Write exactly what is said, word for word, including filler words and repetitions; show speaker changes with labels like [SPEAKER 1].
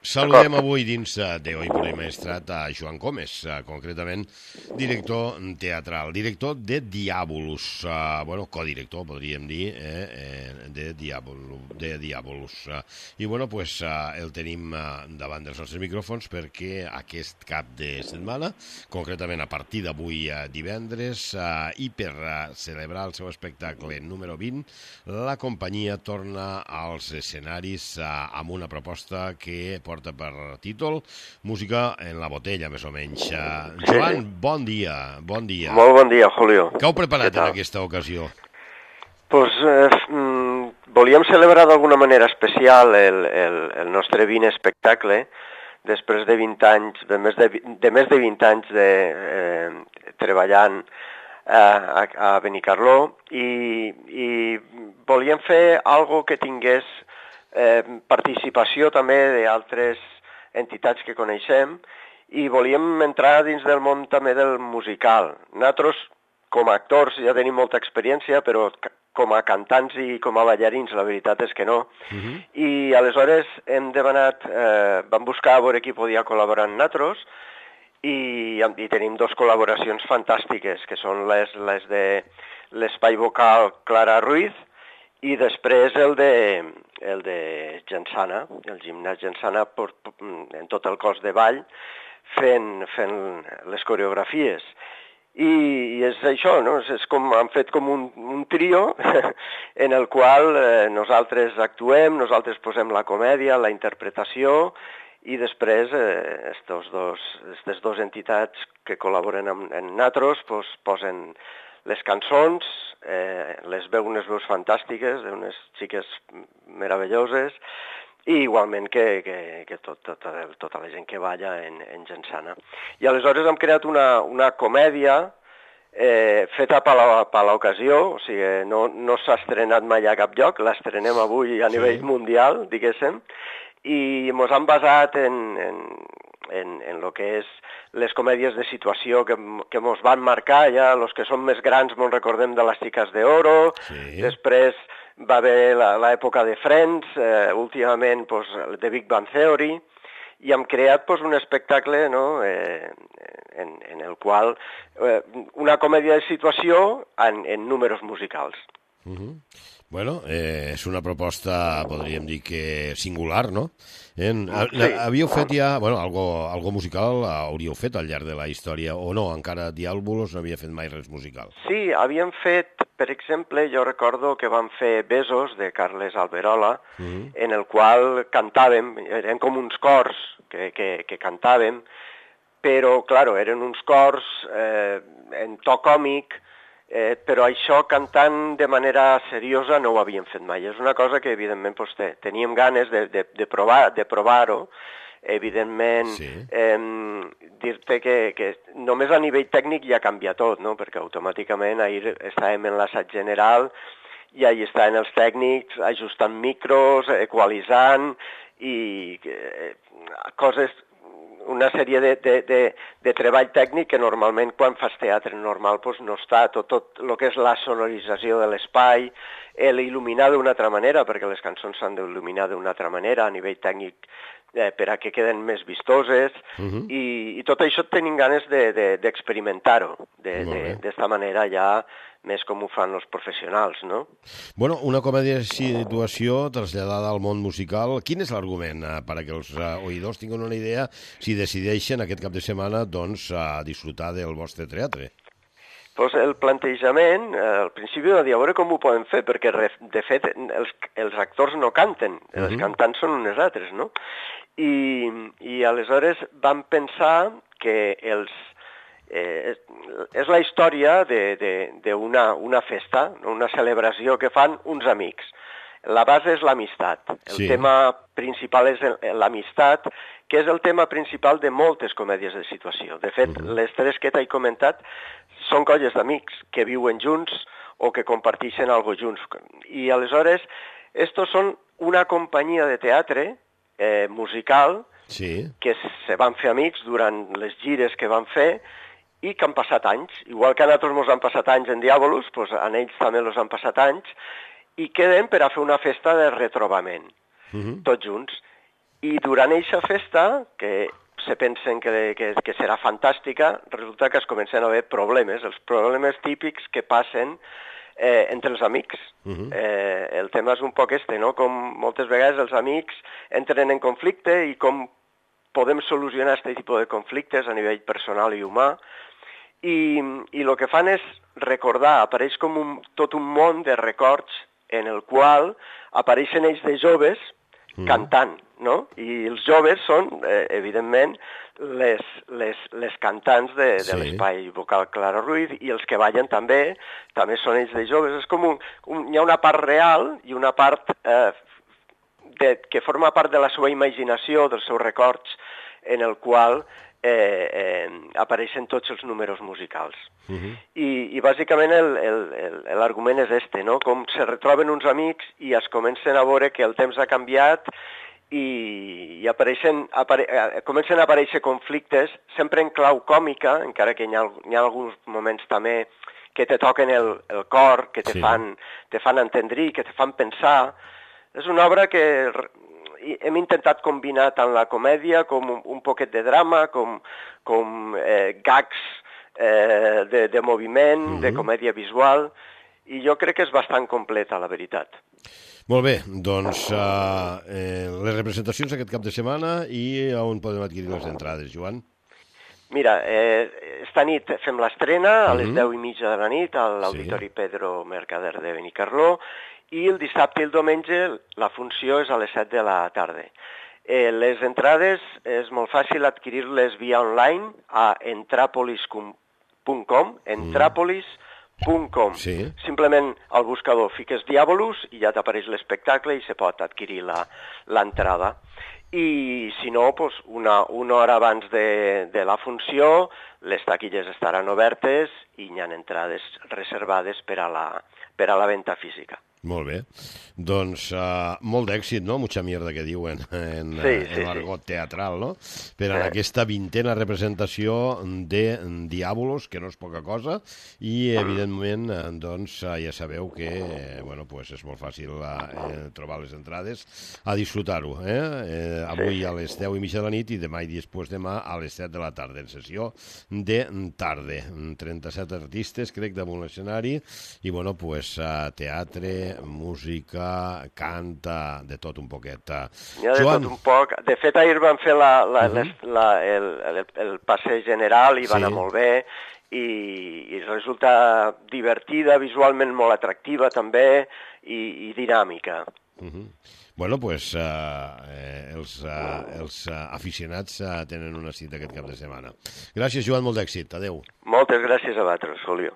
[SPEAKER 1] Saludem avui dins de Oi por el Maestrat a Joan Gómez, concretament director teatral, director de Diàbolus, uh, bueno, codirector, podríem dir, eh, de Diàbolus. De Diàbolus. I, bueno, pues, uh, el tenim uh, davant dels nostres micròfons perquè aquest cap de setmana, concretament a partir d'avui uh, divendres, uh, i per uh, celebrar el seu espectacle número vint, la companyia torna als escenaris uh, amb una proposta que porta per títol Música en la botella, més o menys. Uh, Joan, bon dia, bon dia.
[SPEAKER 2] Molt bon dia, Julio.
[SPEAKER 1] Què heu preparat en aquesta ocasió?
[SPEAKER 2] Pues, eh, mm, volíem celebrar d'alguna manera especial el, el, el nostre vint espectacle després de vint anys, de més de, de, més de vint anys de, eh, treballant eh, a, a Benicarló i, i volíem fer algo que tingués eh, participació també d'altres entitats que coneixem i volíem entrar dins del món també del musical. Nosaltres, com a actors, ja tenim molta experiència, però com a cantants i com a ballarins, la veritat és que no. Uh-huh. I aleshores hem demanat, eh, vam buscar a veure qui podia col·laborar amb nosaltres i, i tenim dos col·laboracions fantàstiques, que són les, les de l'espai vocal Clara Ruiz i després el de, el de Gensana, el gimnàs Gensana per, en tot el cos de ball fent, fent les coreografies. I, i és això, no? És com, han fet com un, un trio en el qual eh, nosaltres actuem, nosaltres posem la comèdia, la interpretació i després eh, estos dos, aquestes dues entitats que col·laboren amb, amb nosaltres pues, posen les cançons, eh, les veu unes veus fantàstiques, d'unes xiques meravelloses, i igualment que, que, que tot, tot, tota la gent que balla en, en Gensana. I aleshores hem creat una, una comèdia eh, feta per l'ocasió, o sigui, no, no s'ha estrenat mai a cap lloc, l'estrenem avui a nivell sí. mundial, diguéssim, i ens hem basat en, en, en, en lo que és les comèdies de situació que, que ens van marcar, ja els que som més grans ens recordem de les Xiques d'Oro, sí. després va haver l'època de Friends, eh, últimament pues, de Big Bang Theory, i hem creat pues, un espectacle no, eh, en, en el qual eh, una comèdia de situació en, en números musicals.
[SPEAKER 1] Uh-huh. Bueno, eh, és una proposta, podríem dir que singular, no? Eh, sí. Havíeu fet ja, bueno, algo, algo musical hauríeu fet al llarg de la història, o no? Encara Diàbolos no havia fet mai res musical.
[SPEAKER 2] Sí, havíem fet, per exemple, jo recordo que vam fer Besos, de Carles Alberola, uh-huh. en el qual cantàvem, eren com uns cors que, que, que cantàvem, però, claro, eren uns cors eh, en to còmic, Eh, però això cantant de manera seriosa no ho havíem fet mai. És una cosa que evidentment pues, te, teníem ganes de, de, de provar de provar-ho. Evidentment, sí. eh, dir-te que, que només a nivell tècnic ja canvia tot, no? Perquè automàticament ahir estàvem en l'assaig general i ahir estaven els tècnics ajustant micros, equalitzant i eh, coses... una sèrie de, de, de, de treball tècnic que normalment quan fas teatre normal pues, no està, tot, tot el que és la sonorització de l'espai, l'il·luminar d'una altra manera, perquè les cançons s'han d'il·luminar d'una altra manera a nivell tècnic eh, per a que queden més vistoses, uh-huh. i, i tot això tenim ganes d'experimentar-ho, de, de, de, d'esta manera ja més com ho fan els professionals, no?
[SPEAKER 1] Bueno, una comèdia de situació traslladada al món musical. Quin és l'argument eh, per a que els eh, oïdors tinguin una idea si decideixen aquest cap de setmana doncs, a disfrutar del vostre teatre?
[SPEAKER 2] Pues el plantejament, eh, al principi va dir a veure com ho podem fer, perquè de fet els, els actors no canten, uh-huh. els cantants són unes altres, no? I, i aleshores vam pensar que els Eh, és la història d'una una festa, una celebració que fan uns amics. La base és l'amistat. El sí. tema principal és l'amistat, que és el tema principal de moltes comèdies de situació. De fet, uh-huh. les tres que t'he comentat són colles d'amics que viuen junts o que comparteixen alguna cosa junts. I aleshores, estos són una companyia de teatre eh, musical sí. que se van fer amics durant les gires que van fer i que han passat anys. Igual que a nosaltres ens han passat anys en Diàbolos, doncs a ells també els han passat anys, i queden per a fer una festa de retrobament, uh-huh. tots junts. I durant eixa festa, que se pensen que, que, que serà fantàstica, resulta que es comencen a haver problemes, els problemes típics que passen eh, entre els amics. Uh-huh. eh, el tema és un poc este, no? Com moltes vegades els amics entren en conflicte i com podem solucionar aquest tipus de conflictes a nivell personal i humà. I, i el que fan és recordar, apareix com un, tot un món de records en el qual apareixen ells de joves mm. cantant, no? I els joves són, eh, evidentment, les, les, les cantants de, de sí. l'espai vocal Clara Ruiz, i els que ballen també, també són ells de joves. És com un, un, hi ha una part real i una part eh, de, que forma part de la seva imaginació, dels seus records, en el qual Eh, eh, apareixen tots els números musicals. Uh-huh. I, i bàsicament l'argument és este, no? Com se retroben uns amics i es comencen a veure que el temps ha canviat i, i apareixen, apare, comencen a aparèixer conflictes, sempre en clau còmica, encara que hi ha, hi ha alguns moments també que te toquen el, el cor, que te, sí. fan, te fan entendrir, que te fan pensar. És una obra que hem intentat combinar tant la comèdia com un, un poquet de drama, com, com eh, gags eh, de, de moviment, mm-hmm. de comèdia visual, i jo crec que és bastant completa, la veritat.
[SPEAKER 1] Molt bé, doncs uh, eh, les representacions aquest cap de setmana i on podem adquirir les entrades, Joan?
[SPEAKER 2] Mira, eh, esta nit fem l'estrena a les mm-hmm. deu i mitja de la nit a l'Auditori sí. Pedro Mercader de Benicarló, i el dissabte i el diumenge la funció és a les set de la tarda. Eh, les entrades és molt fàcil adquirir-les via online a entrapolis punt com, entrapolis punt com. Sí. Simplement al buscador fiques Diabolus i ja t'apareix l'espectacle i se pot adquirir l'entrada. I si no, pues una, una hora abans de, de la funció les taquilles estaran obertes i hi ha entrades reservades per a la, per a la venda física.
[SPEAKER 1] Molt bé. Doncs uh, molt d'èxit, no? Mucha mierda que diuen en,
[SPEAKER 2] sí, sí,
[SPEAKER 1] en l'argot
[SPEAKER 2] sí.
[SPEAKER 1] teatral, no? Per en sí. aquesta vintena representació de Diabolos, que no és poca cosa, i evidentment, doncs, ja sabeu que, bueno, pues és molt fàcil eh, trobar les entrades a disfrutar-ho, eh? eh avui sí. a les deu i mitja de la nit i demà i després demà a les set de la tarda, en sessió de tarda. trenta-set artistes, crec, damunt l'escenari, i, bueno, pues, teatre, música, canta, de tot un poquet.
[SPEAKER 2] Ja, de Joan... tot un poc. De fet, ahir van fer la, la, uh -huh. la, el, el, el passeig general i va sí. anar molt bé i, i resulta divertida, visualment molt atractiva també i, i dinàmica.
[SPEAKER 1] Uh -huh. Bueno, doncs pues, uh, eh, els, uh, els uh, aficionats uh, tenen una cita aquest cap de setmana. Gràcies, Joan, molt d'èxit. Adéu.
[SPEAKER 2] Moltes gràcies a vosaltres, Julio.